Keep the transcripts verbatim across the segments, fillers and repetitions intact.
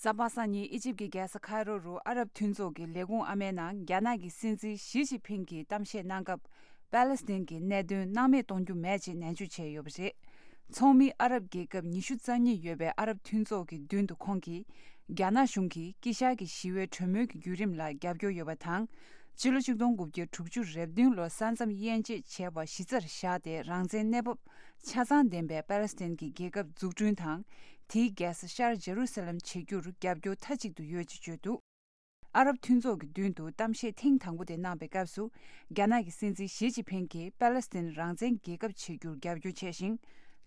གཟའ་པ་སངས་ཉིན་ཨི་ཇིབ་ཀྱི་རྒྱལ་ས་ཁའི་རོ་རུ་ཨ་རབ་མཐུན་ཚོགས་ཀྱི་ལས་ཁུངས་ཨ་མའི་ནང་རྒྱ་ནག་གི་སྲིད་འཛིན་ཞི་ཅིན་ཕིང་གིས་གཏམ་བཤད་གནང་སྐབས། པ་ལེ་སི་ཐན་གྱི་གནད་དོན་སྣང་མེད་གཏོང་རྒྱུ་མེད་ཅེས་ནན་བརྗོད་བྱས་ཡོད་པ་རེད། ཚོགས་མི་ཨ་རབ་རྒྱལ་ཁབ་ཉི་ཤུ་རྩ་གཉིས་ཡོད་པའི་ཨ་རབ་མཐུན་ཚོགས་ཀྱི་མདུན་དུ་ཁོང་གིས། རྒྱ་ནག་གཞུང་གིས་དཀྱིལ་ཤར་གྱི་ཞི་བའི་གྲོས་མོལ་གྱི་བརྒྱུད་རིམ་ལ་རྒྱབ་སྐྱོར་ཡོད་པ་དང་། ཕྱི་ལོ་ཆིག་སྟོང་དགུ་བརྒྱ་དྲུག་ཅུ་རེ་བདུན་ལོར་ས་མཚམས་དབྱེ་འབྱེད་བྱས་པ་གཞི་རྩར་བཞག་སྟེ། རང་བཙན་གནས་བབ་ཆ་ཚང་ལྡན་པའི་པ་ལེ་སི་ཐན་གྱི་རྒྱལ་ཁབ་འཛུགས་སྐྲུན་དང་། དེའི་རྒྱལ་ས་ཤར་ཇེ་རུ་སཱ་ལམ་བྱེད་རྒྱུར་རྒྱབ་སྐྱོར་མཐའ་གཅིག་ཏུ་ཡོད་ཅེས་བརྗོད་འདུག་ཨ་རབ་མཐུན་ཚོགས་ཀྱི་མདུན་དུ་གཏམ་བཤད་ཐེངས་དང་པོ་དེ་གནང་པའི་སྐབས་སུ། རྒྱ་ནག་གི་སྲིད་འཛིན་ཞི་ཅིན་ཕིང་གིས་པ་ལེ་སི་ཐན་རང་བཙན་རྒྱལ་ཁབ་བྱེད་རྒྱུར་རྒྱབ་སྐྱོར་བྱས་ཤིང་།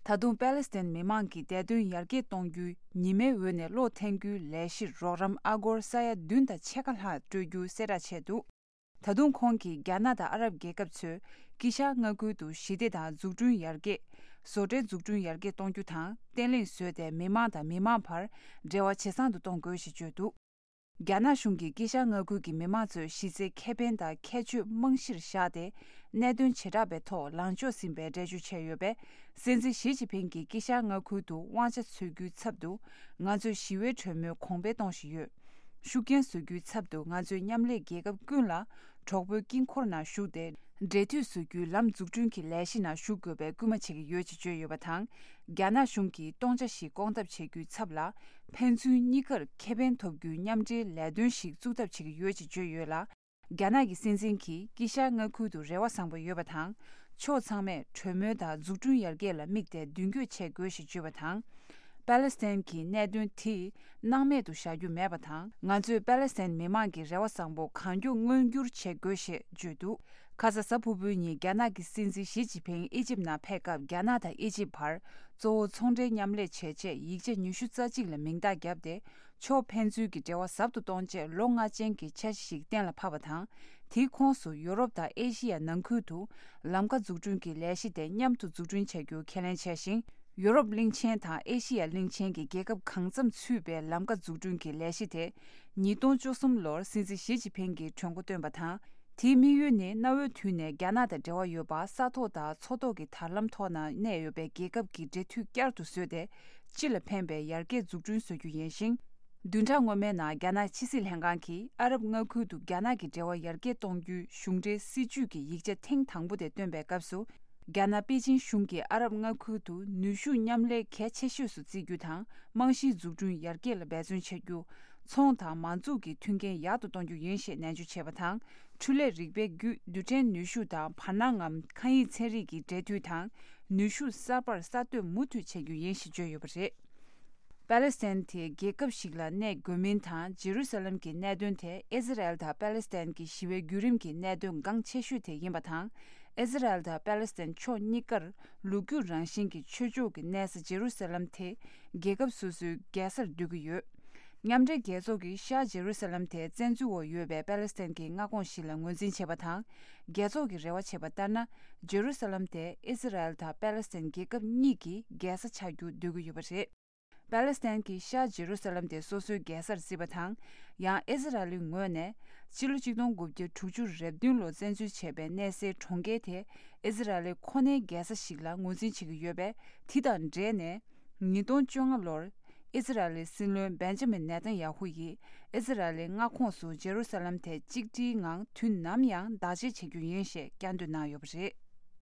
ད་དུང་པ་ལེ་སི་ཐན་མི་མང་གི་བདེ་དོན་ཡར་རྒྱས་གཏོང་རྒྱུའི་ཉི་མའི་འོད་ནས་གློག་འཐེན་རྒྱུའི་ལས་གཞིར་རོགས་རམ་ཨ་སྒོར་ས་ཡ་བདུན་དང་ཕྱེད་ཀ་ལྷག་སྤྲོད་རྒྱུ་གསལ་བསྒྲགས་བྱས་འདུག་ད་དུང་ཁོང་གིས་རྒྱ་ནག་དང་ཨ་རབ་རྒྱལ་ཁབ་ཚོས་དཀྱིལ་ཤར་མངའ་ཁུལ་དུ་ཞི་བདེ་དང་འཛུགས་སྐྲུན་ཡར་རྒྱས། བཟོ་གྲྭའི་འཛུགས་སྐྲུན་ཡར་རྒྱས་གཏོང་རྒྱུ་དང་བརྟན་ལྷིང་བཟོས་ཏེ། མི་མང་དང་མི་མང་བར་འབྲེལ་བ་ཇེ་བཟང་དུ་གཏོང་དགོས་ཞེས་བརྗོད་འདུག་རྒྱ་ནག་གཞུང་གིས་དཀྱིལ་ཤར་མངའ་ཁུལ་གྱི་མི་མང་ཚོའི་གཞི་རྩའི་ཁེ་ཕན་དང་ཁྱད་ཆོས་རྨང་གཞིར་བཞག་སྟེ། གནད་དོན་བྱེ་བྲག་པའི་ཐོག་ལངས་ཕྱོགས་ཟིན་པའི་འགྲེལ་བརྗོད་བྱས་ཡོད་པས། སྲིད་འཛིན་ཞི་ཅིན་ཕིང་གིས་དཀྱིལ་ཤར་མངའ་ཁུལ་དུ་དབང་ཆ་འཚོལ་རྒྱུའི་ཚབ་ཏུ། ང་ཚོས་ཞི་བའི་གྲོས་མོལ་གོང་འཕེལ་གཏོང་བཞིན་ཡོད། ཤུགས་རྐྱེན་བཟོ་རྒྱུའི་ཚབ་ཏུ། ང་ཚོས་མཉམ་ལས་རྒྱལ་ཁབ་ཀུན་ལ་གྲོགས་པོའི་དཀྱིལ་འཁོར་ནང་ཞུགས་ཏེ། འབྲེལ་མཐུད་བཟོ་རྒྱུའི་ལམ་འཛུགས་སྐྲུན་གྱི་ལས་གཞི་ནང་ཞུགས་དགོས་པའི་སྐུལ་མ་བྱེད་ཀྱི་ཡོད་ཅེས་བརྗོད་ཡོད་པ་དང་། རྒྱ་ནག་གཞུང་གིས་སྟོང་ཆ་ཞིག་སྐོང་ཐབས་བྱེད་རྒྱུའི་ཚབ་ལ། ཕན་ཚུན་གཉིས་ཀར་ཁེ་ཕན་ཐོབ་རྒྱུའི་མཉམ་འབྲེལ་ལས་དོན་ཞིག་བཙུགས་ཐབས་བྱེད་ཀྱི་ཡོད་ཅེས་བརྗོད་ཡོད་ལ། རྒྱ་ནག་གི་སྲིད་འཛིན་གྱིས་དཀྱིལ་ཤར་མངའ་ཁུལ་དུ་རེ་བ་བཟང་པོ་ཡོད་པ་དང་། ཕྱོགས་ཚང་མས་གྲོས་མོལ་དང་འཛུགས་སྐྲུན་ཡར་རྒྱས་ལ་དམིགས་ཏེ་མདུན་སྐྱོད་བྱེད་དགོས་ཞེས་བརྗོད་པ་དང་། པ་ལེ་སི་ཐན་གྱི་གནད་དོན་དེ་སྣང་མེད་དུ་བཞག་རྒྱུ་མེད་པ་དང་། ང་ཚོས་པ་ལེ་སི་ཐན་མི་མང་གི་རེ་བ་བཟང་པོ་གང་མགྱོགས་མངོན་འགྱུར་བྱེད་དགོས་ཞེས་བརྗོད་འདུག་ཁ་ས་གཟའ་ཕུར་བུའི་ཉིན་རྒྱ་ནག་གི་སྲིད་འཛིན་ཞི་ཅིན་ཕིང་ཨི་ཇིབ་ནང་ཕེབས་སྐབས། རྒྱ་ནག་དང་ཨི་ཇིབ་བར་གཙོ་བོ་ཚོང་འབྲེལ་མཉམ་ལས་བྱེད་ཆེད་ཡིག་ཆ་ཉི་ཤུ་རྩ་གཅིག་ལ་མིང་རྟགས་བརྒྱབ་སྟེ། ཕྱོགས་ཕན་ཚུན་གྱི་འབྲེལ་བ་ཟབ་ཏུ་གཏོང་ཆེད་ལོ་ལྔ་ཅན་གྱི་འཆར་གཞི་ཞིག་གཏན་ལ་ཕབ་པ་དང་། དེའི་ཁོངས་སུ་ཡོ་རོབ་དང་ཨེ་ཤི་ཡ་ནང་ཁུལ་དུ་ལམ་ཁ་འཛུགས་སྐྲུན་གྱི་ལས་གཞི་དེ་མཉམ་དུ་འཛུགས་སྐྲུན་བྱ་རྒྱུ་ཁས་ལེན་བྱས་ཤིང་། ཡོ་རོབ་གླིང་ཆེན་དང་ཨེ་ཤི་ཡ་གླིང་ཆེན་གྱི་རྒྱལ་ཁབ་གང་འཚམ་ཚུད་པའི་ལམ་ཁ་འཛུགས་སྐྲུན་གྱི་ལས་གཞི་དེ། ཉིས་སྟོང་བཅུ་གསུམ་ལོར་སྲིད་འཛིན་ཞི་ཅིན་ཕིང་གིས་གྲོས་འགོ་བཏོན་པ་དང་། དེའི་དམིགས་ཡུལ་ནི་གནའ་བོའི་དུས་ནས་རྒྱ་ནག་དང་འབྲེལ་བ་ཡོད་པ། ས་ཐོག་དང་མཚོ་ཐོག་གི་དར་ལམ་ཐོག་ན་གནས་ཡོད་པའི་རྒྱལ་ཁབ་ཀྱི་འབྲེལ་མཐུད་བསྐྱར་དུ་བཟོས་ཏེ། སྤྱི་ལ་ཕན་པའི་ཡར་རྒྱས་འཛུགས་སྐྲུན་བཟོ་རྒྱུ་ཡིན་ཞིང་། བདུན་ཕྲག་སྔོན་མའི་ནང་རྒྱ་ནག་ཕྱི་སྲིད་ལྷན་ཁང་གིས་ཨ་རབ་མངའ་ཁུལ་དུ་རྒྱ་ནག་གི་འབྲེལ་བ་ཡར་རྒྱས་གཏོང་རྒྱུའི་གཞུང་འབྲེལ་སྲིད་ཇུས་ཀྱི་ཡིག་ཆ་ཐེངས་དང་པོ་དེ་བཏོན་པའི་སྐབས་སུ། རྒྱ་ནག་པེ་ཅིན་གཞུང་གིས་ཨ་རབ་མངའ་ཁུལ་དུ་ནུས་ཤུགས་མཉམ་ལས་གལ་ཆེ་ཤོས་སུ་བརྩི་རྒྱུ་དང་། རྨང་གཞིའི་འཛུགས་སྐྲུན་ཡར་རྒྱས་ལ་འབད་བརྩོན་བྱ་རྒྱུ། ཚོང་དང་མ་འཛུགས་ཀྱི་མཐུན་རྐྱེན་ཡག་ཏུ་གཏོང་རྒྱུ་ཡིན་ཞེས་ནན་བརྗོད་བྱས་པ་དང་། འཕྲུལ་ལས་རིག་པའི་བརྒྱུད་རྡུལ་ཕྲན་ནུས་ཤུགས་དང་བར་སྣང་ངམ་མཁའ་དབྱིངས་ཚན་རིག་གི་འབྲེལ་མཐུད་དང་། ནུས་ཤུགས་གསར་པར་གསར་གཏོད་མུ་མཐུད་བྱེད་རྒྱུ་ཡིན་ཞེས་བརྗོད་ཡོད་པ་རེད། པ་ལེ་སི་ཐན་དེ་རྒྱལ་ཁབ་ཞིག་ལ་གནས་དགོས་མིན་དང་། ཇེ་རུ་སཱ་ལམ་གྱི་གནད་དོན་དེ་ཨི་ཟི་རལ་དང་པ་ལེ་སི་ཐན་གྱི་ཞི་བའི་བརྒྱུད་རིམ་གྱི་གནད་དོན་འགངས་ཆེ་ཤོས་དེ་ཡིན་པ་དང་། ཨི་ཟི་རལ་དང་པ་ལེ་སི་ཐན་ཕྱོགས་གཉིས་ཀར་ལོ་རྒྱུས་རང་བཞིན་གྱི་ཆོས་ཕྱོགས་ཀྱི་གནས་ས་ཇེ་རུ་སཱ་ལམ་དེ་རྒྱལ་ཁབ་སོ་སོའི་རྒྱལ་སར་འདོད་ཀྱི་ཡོད། མཉམ་འབྲེལ་རྒྱལ་ཚོགས་ཀྱིས་ཤར་ཇེ་རུ་སཱ་ལམ་དེ་བཙན་འཛུལ་འོག་ཡོད་པའི་པ་ལེ་སི་ཐན་གྱི་མངའ་ཁོངས་ཤིག་ལ་ངོས་འཛིན་བྱས་པ་དང་། རྒྱལ་ཚོགས་ཀྱིས་རེ་བ་བྱས་པ་ལྟར་ན། ཇེ་རུ་སཱ་ལམ་དེ་ཨི་ཟི་རལ་དང་པ་ལེ་སི་ཐན་རྒྱལ་ཁབ་གཉིས་ཀྱི་རྒྱལ་ས་ཆགས་རྒྱུ་འདོད་ཀྱི་ཡོད་པ་རེད། པ་ལེ་སི་ཐན་གྱིས་ཤར་ཇེ་རུ་སཱ་ལམ་དེ་སོ་སོའི་རྒྱལ་སར་བརྩིས་པ་དང་། ཡང་ཨི་ཟི་རལ་ལི་ངོས་ནས། ཕྱི་ལོ་ཆིག་སྟོང་དགུ་བརྒྱ་དྲུག་ཅུ་རེ་བདུན་ལོར་བཙན་འཛུལ་བྱས་པའི་གནས་སའི་གྲོང་ཁྱེར་དེ་ཨི་ཟི་རལ་ལི་ཁོ་ནའི་རྒྱལ་ས་ཞིག་ལ་ངོས་འཛིན་བྱེད་ཀྱི་ཡོད་པས། དེ་དང་འབྲེལ་ནས། ཉིས་སྟོང་བཅོ་ལྔ་ལོར། ཨི་ཟི་རལ་ལི་སྲིད་བློན་བེན་ཇ་མིན་ནེ་ཐན་ཡ་ཧུ་ཡིས། ཨི་ཟི་རལ་ལི་མངའ་ཁོངས་སུ་ཇེ་རུ་སཱ་ལམ་དེ་གཅིག་སྒྲིལ་ངང་དུས་ནམ་ཡང་བདག་གཅེས་བྱེད་རྒྱུ་ཡིན་ཞེས་བསྐྱར་ཟློས་གནང་ཡོད་པ་རེད།